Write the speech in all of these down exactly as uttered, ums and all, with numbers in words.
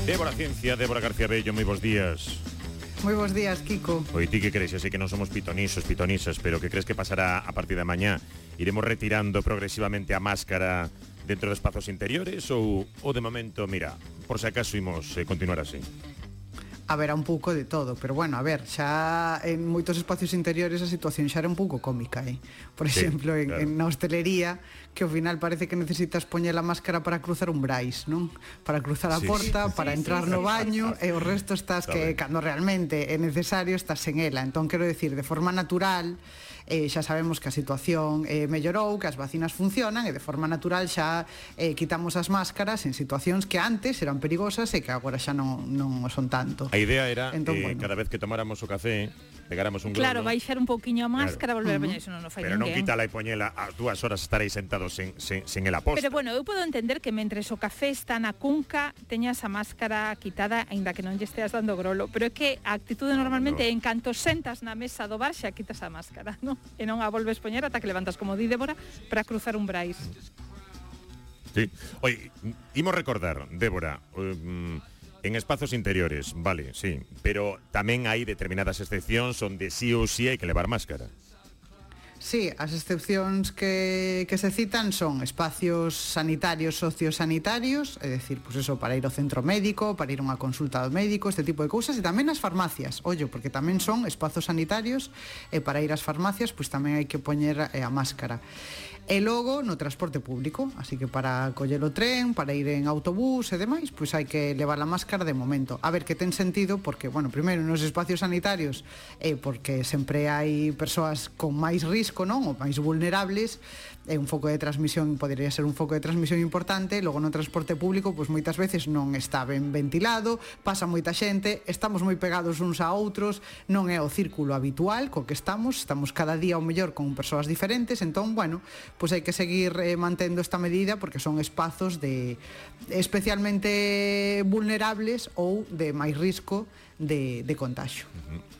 Débora Ciencia, Débora García Bello, moi bons días. Moi bons días, Kiko. Oi, ti que crees? Eu sei que non somos pitonisos, pitonisas, pero que crees que pasará a partir de mañá? Iremos retirando progresivamente a máscara dentro de espazos interiores ou, ou de momento, mira, por se acaso imos eh, continuar así? Haberá un pouco de todo, pero bueno, a ver, xa en moitos espacios interiores a situación xa era un pouco cómica, eh? Por Sí, exemplo, en, claro. en na hostelería, que ao final parece que necesitas poñer a máscara para cruzar un brais, non? Para cruzar a Sí. porta, para Sí, entrar sí, no sí. baño, e o resto estás Está que ben. cando realmente é necesario estás en ela. Entón, quero decir, de forma natural, eh, xa sabemos que a situación eh, mellorou, que as vacinas funcionan, e de forma natural xa eh, quitamos as máscaras en situacións que antes eran perigosas e que agora xa non, non o son tanto. A idea era Entón, eh, bueno. cada vez que tomáramos o café, pegáramos un Claro, globo, baixar un pouquiño a máscara, Claro. volver a Ujú. poñer, iso non o fai pero non ninguén. quítala e poñela a dúas horas estaréis sentados sen, sen, sen el aposta. Pero bueno, eu podo entender que mentres o café está na cunca teñas a máscara quitada, aínda que non lle esteas dando grolo, pero é que a actitude normalmente é en canto sentas na mesa do bar xa quitas a máscara, non? E non a volves poñer ata que levantas, como di Débora, para cruzar un brais. Sí. Oye, imos recordar, Débora, um, en espazos interiores, vale, sí, pero tamén hai determinadas excepcións onde sí ou sí hai que levar máscara. Sí, as excepcións que, que se citan son espacios sanitarios, sociosanitarios, é dicir, pues eso, para ir ao centro médico, para ir a unha consulta do médico, este tipo de cousas, e tamén as farmacias, ollo, porque tamén son espazos sanitarios, e para ir ás farmacias, pues tamén hai que poñer eh, a máscara. E logo no transporte público, así que para coller o tren, para ir en autobús e demais, pois hai que levar a máscara de momento. A ver, que ten sentido, porque, bueno, primeiro nos espacios sanitarios, eh, porque sempre hai persoas con máis risco, non? Ou máis vulnerables, é un foco de transmisión, podería ser un foco de transmisión importante, logo no transporte público, pois moitas veces non está ben ventilado, pasa moita xente, estamos moi pegados uns a outros, non é o círculo habitual co que estamos, estamos cada día ao mellor con persoas diferentes, entón, bueno, pois hai que seguir eh, mantendo esta medida porque son espazos de especialmente vulnerables ou de máis risco de, de contagio.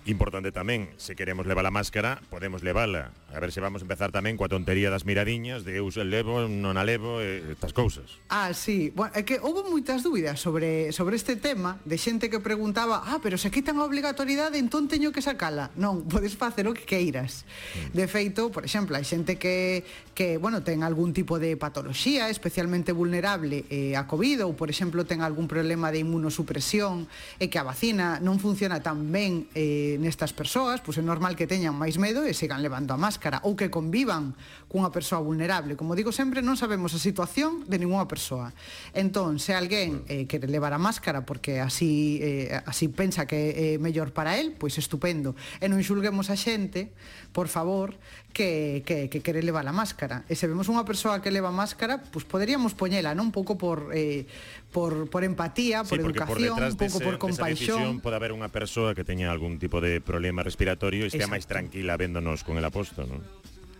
Importante tamén, se queremos levar a máscara, podemos levala. A ver se vamos a empezar tamén coa tontería das miradiñas, de eu se levo, non a levo, e estas cousas. Ah, sí, bueno, é que houve moitas dúbidas sobre, sobre este tema, de xente que preguntaba, ah, pero se quitan a obligatoriedade, entón teño que sacala. Non, podes facer o que queiras. De feito, por exemplo, hai xente que, que bueno, ten algún tipo de patoloxía especialmente vulnerable eh, a COVID, ou, por exemplo, ten algún problema de inmunosupresión, e que a vacina non funciona tan ben eh, nestas persoas, pois é normal que teñan máis medo e sigan levando a máscara, ou que convivan cunha persoa vulnerable. Como digo sempre, non sabemos a situación de ninguna persoa. Entón, se alguén eh, quere levar a máscara porque así eh, así pensa que é mellor para el, pois estupendo. E non xulguemos a xente, por favor, que, que, que quere levar a máscara. E se vemos unha persoa que leva máscara, pois poderíamos poñela, non? Un pouco por, eh, por, por empatía, por Sí, porque por educación, detrás un pouco dese, por desa compaixón. decisión pode haber unha persoa que teña algún tipo de problema respiratorio e estea Exacto. máis tranquila véndonos con el aposto, non?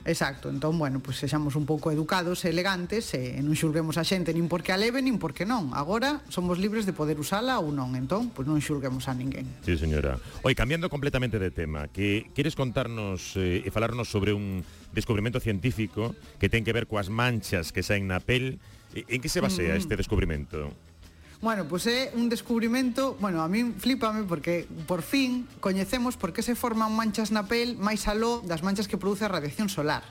Exacto, entón, bueno, pois sexamos un pouco educados e elegantes e non xulguemos a xente nin porque a leve nin porque non. Agora somos libres de poder usala ou non, entón, pois non xulguemos a ninguén. Sí, señora. Oi, cambiando completamente de tema, que queres contarnos eh, e falarnos sobre un descubrimento científico que ten que ver coas manchas que saen na pel. En que se basea Mm. este descubrimento? Bueno, pois é un descubrimento, bueno, a min flípame porque por fin coñecemos por que se forman manchas na pel máis aló das manchas que produce a radiación solar.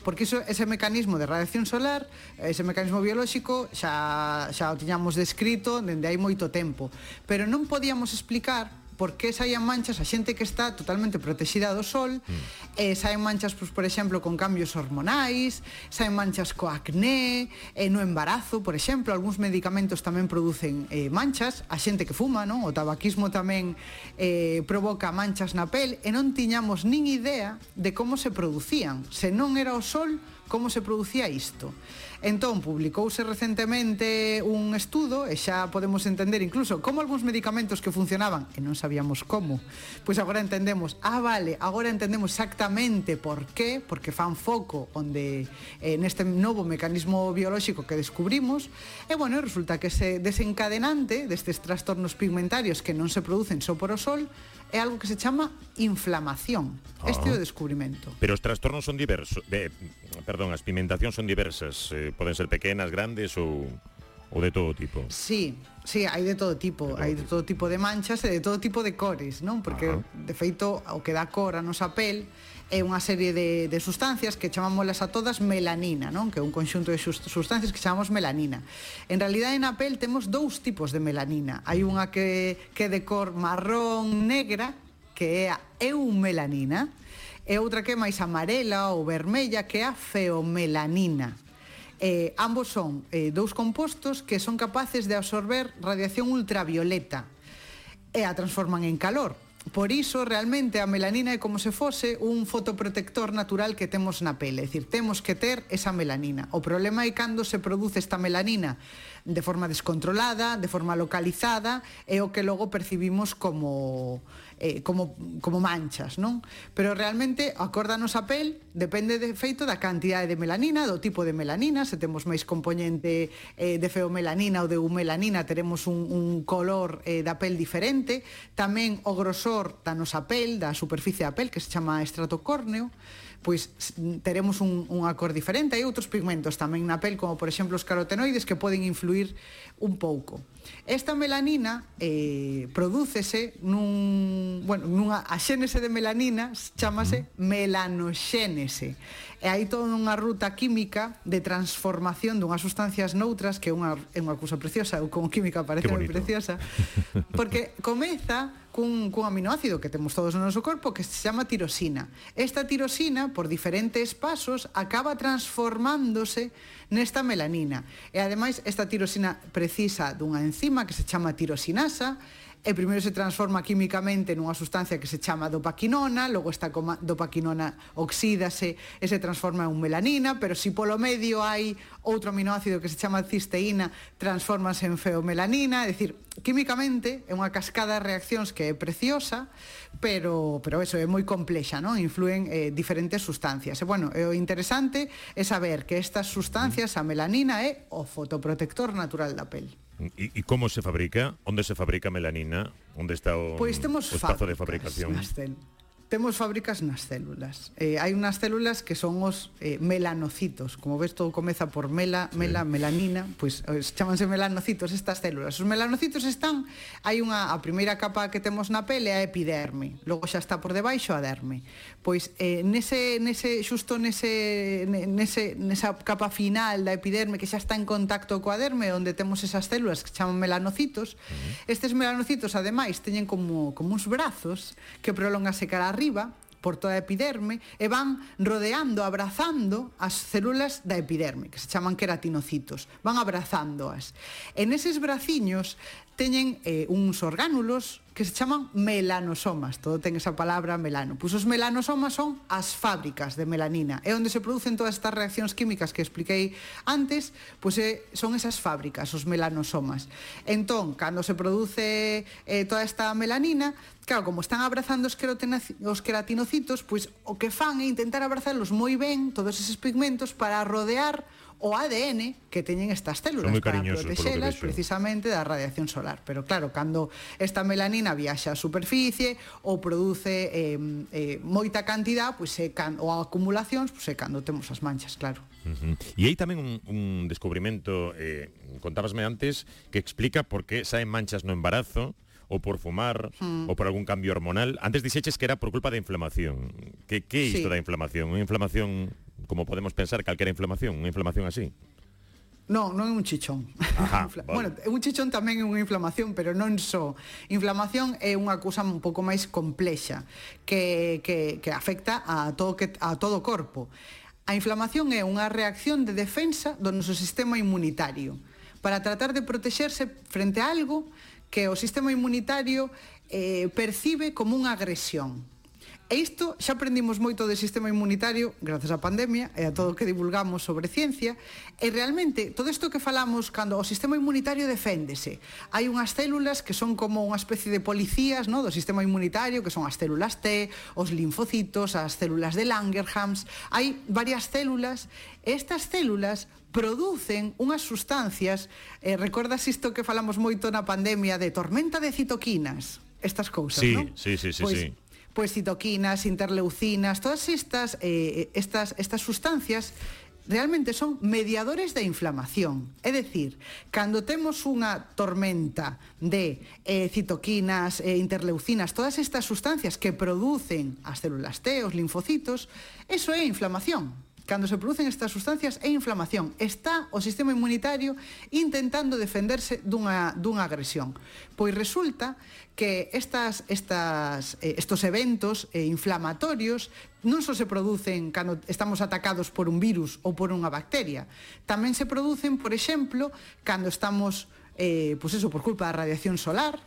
Porque iso, ese mecanismo de radiación solar, ese mecanismo biolóxico, xa, xa o tiñamos descrito dende hai moito tempo. Pero non podíamos explicar por que saían manchas a xente que está totalmente protexida do sol, mm. eh, saen manchas, pues, por exemplo, con cambios hormonais, saen manchas co acné, eh, no embarazo, por exemplo, algúns medicamentos tamén producen eh, manchas, a xente que fuma, non? O tabaquismo tamén eh, provoca manchas na pel, e non tiñamos nin idea de como se producían, se non era o sol, como se producía isto. Entón, publicouse recentemente un estudo e xa podemos entender incluso como algúns medicamentos que funcionaban e non sabíamos como, pois agora entendemos, ah, vale, agora entendemos exactamente por qué, porque fan foco onde eh, neste novo mecanismo biolóxico que descubrimos, e bueno, resulta que ese desencadenante destes trastornos pigmentarios que non se producen só por o sol é algo que se chama inflamación. Ah. Este é o descubrimento. Pero os trastornos son diversos, eh, perdón, as pigmentacións son diversas, eh, poden ser pequenas, grandes ou ou de todo tipo? Sí, sí, hai de todo tipo, de todo hai de todo tipo de manchas e de todo tipo de cores, non? Porque, Ajá. de feito, o que dá cor a nosa pel é unha serie de, de sustancias que chamámoslas a todas melanina, non? Que é un conxunto de sustancias que chamamos melanina. En realidade, na pel temos dous tipos de melanina. Hai unha que, que é de cor marrón negra, que é a eumelanina, e outra que é máis amarela ou vermella, que é a feomelanina. Eh, ambos son eh, dous compostos que son capaces de absorber radiación ultravioleta e a transforman en calor. Por iso, realmente, a melanina é como se fose un fotoprotector natural que temos na pele. É dicir, temos que ter esa melanina. O problema é cando se produce esta melanina de forma descontrolada, de forma localizada, é o que logo percibimos como, eh, como, como manchas, non? Pero realmente, a cor da nosa pel depende de feito da cantidade de melanina, do tipo de melanina. Se temos máis componente eh, de feomelanina ou de eumelanina, teremos un, un color eh, da pel diferente. Tamén o grosor da nosa pel, da superficie da pel, que se chama estrato córneo, pois teremos un, unha cor diferente. Hai outros pigmentos tamén na pel, como por exemplo os carotenoides, que poden influir un pouco. Esta melanina eh, prodúcese nun, bueno, nunha a xénese de melanina chamase melanoxénese. E hai toda unha ruta química de transformación dunhas sustancias noutras, que é unha, é unha cousa preciosa. Eu como química parece moi preciosa, porque comeza cun, cun aminoácido que temos todos no noso corpo, que se chama tirosina. Esta tirosina, por diferentes pasos, acaba transformándose nesta melanina. E ademais, esta tirosina precisa dunha enzima que se chama tirosinasa, e primeiro se transforma químicamente nunha sustancia que se chama dopaquinona, logo esta dopaquinona oxídase e se transforma en melanina, pero si polo medio hai outro aminoácido que se chama cisteína, transformase en feomelanina. É dicir, químicamente é unha cascada de reaccións que é preciosa, pero, pero eso é moi complexa, non? Influen eh, diferentes sustancias. E, bueno, o interesante é saber que estas sustancias, a melanina, é o fotoprotector natural da pel. E, e como se fabrica? Onde se fabrica melanina? Onde está o, pois temos o espazo de fabricación? Temos fábricas nas células. Eh, hai unhas células que son os eh, melanocitos. Como ves, todo comeza por mela, sí. mela, melanina, pois pues, chamanse melanocitos estas células. Os melanocitos están, hai unha, a primeira capa que temos na pele é a epiderme, logo xa está por debaixo a derme. Pois eh, nese, nese, xusto nese, nese, nesa capa final da epiderme que xa está en contacto coa derme, onde temos esas células que chaman melanocitos, uh-huh. Estes melanocitos, ademais, teñen como, como uns brazos que prolongase cara arriba por toda a epiderme e van rodeando, abrazando as células da epiderme, que se chaman queratinocitos. Van abrazándoas. En eses braciños teñen eh, uns orgánulos que se chaman melanosomas. Todo ten esa palabra melano. Pois os melanosomas son as fábricas de melanina. É onde se producen todas estas reaccións químicas que expliquei antes, pois eh, son esas fábricas, os melanosomas. Entón, cando se produce eh, toda esta melanina, claro, como están abrazando os, os queratinocitos, pois o que fan é intentar abrazalos moi ben, todos eses pigmentos, para rodear o A D N que teñen estas células para protexelas precisamente da radiación solar. Pero claro, cando esta melanina viaxa á superficie ou produce eh, eh, moita cantidad, pois é can, ou acumulacións, pois é cando temos as manchas, claro. Uh-huh. E hai tamén un, un descubrimento, eh, contábasme antes, que explica por que saen manchas no embarazo, ou por fumar, hmm. ou por algún cambio hormonal. Antes dixeches que era por culpa da inflamación. Que, que é isto sí. da inflamación? Unha inflamación, como podemos pensar, calquera inflamación? Unha inflamación así? Non, non é un chichón. Ajá, vale. Bueno, un chichón tamén é unha inflamación, pero non só. Inflamación é unha cousa un pouco máis complexa, que, que, que afecta a todo, que, a todo o corpo. A inflamación é unha reacción de defensa do noso sistema inmunitario para tratar de protexerse frente a algo que o sistema inmunitario eh, percibe como unha agresión. E isto xa aprendimos moito do sistema inmunitario grazas á pandemia e a todo o que divulgamos sobre ciencia, e realmente todo isto que falamos cando o sistema inmunitario deféndese, hai unhas células que son como unha especie de policías, no, do sistema inmunitario, que son as células T, os linfocitos, as células de Langerhans. Hai varias células, e estas células producen unhas sustancias, eh, recordas isto que falamos moito na pandemia de tormenta de citoquinas, estas cousas, sí, non? Sí, sí, sí, pois, sí. Pois citoquinas, interleucinas, todas estas, eh, estas, estas sustancias realmente son mediadores da inflamación. É dicir, cando temos unha tormenta de eh, citoquinas, eh, interleucinas, todas estas sustancias que producen as células T, os linfocitos, eso é inflamación. Cando se producen estas sustancias é inflamación. Está o sistema inmunitario intentando defenderse dunha, dunha agresión. Pois resulta que estas, estas, eh, estos eventos eh, inflamatorios non só se producen cando estamos atacados por un virus ou por unha bacteria, tamén se producen, por exemplo, cando estamos, eh, pois eso, por culpa da radiación solar,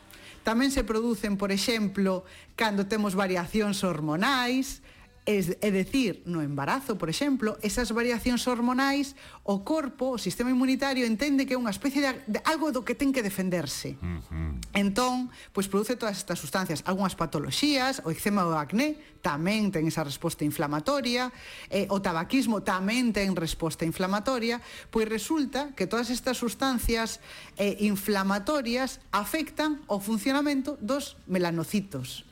tamén se producen, por exemplo, cando temos variacións hormonais. Es, é dicir, no embarazo, por exemplo, esas variacións hormonais, o corpo, o sistema inmunitario entende que é unha especie de, de algo do que ten que defenderse. Uh-huh. Entón, pois produce todas estas sustancias, algunhas patoloxías, o eczema ou o acné tamén ten esa resposta inflamatoria, eh, o tabaquismo tamén ten resposta inflamatoria, pois resulta que todas estas sustancias eh, inflamatorias afectan o funcionamento dos melanocitos.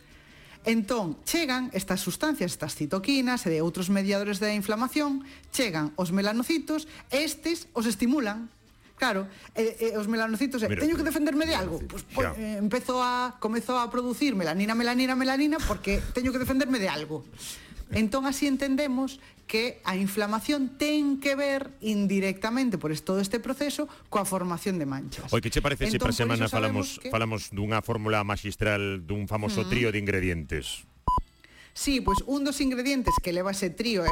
Entón, chegan estas sustancias, estas citoquinas e de outros mediadores da inflamación, chegan os melanocitos e estes os estimulan. Claro, e, e os melanocitos, eh, teño que defenderme de algo, pues, pues, eh, empezo a, comezo a producir melanina, melanina, melanina, porque teño que defenderme de algo. Entón, así entendemos que a inflamación ten que ver indirectamente por todo este proceso coa formación de manchas. Oi, que che parece se entón, para semana falamos, que... falamos dunha fórmula magistral dun famoso uh-huh. trío de ingredientes? Sí, pois un dos ingredientes que leva ese trío é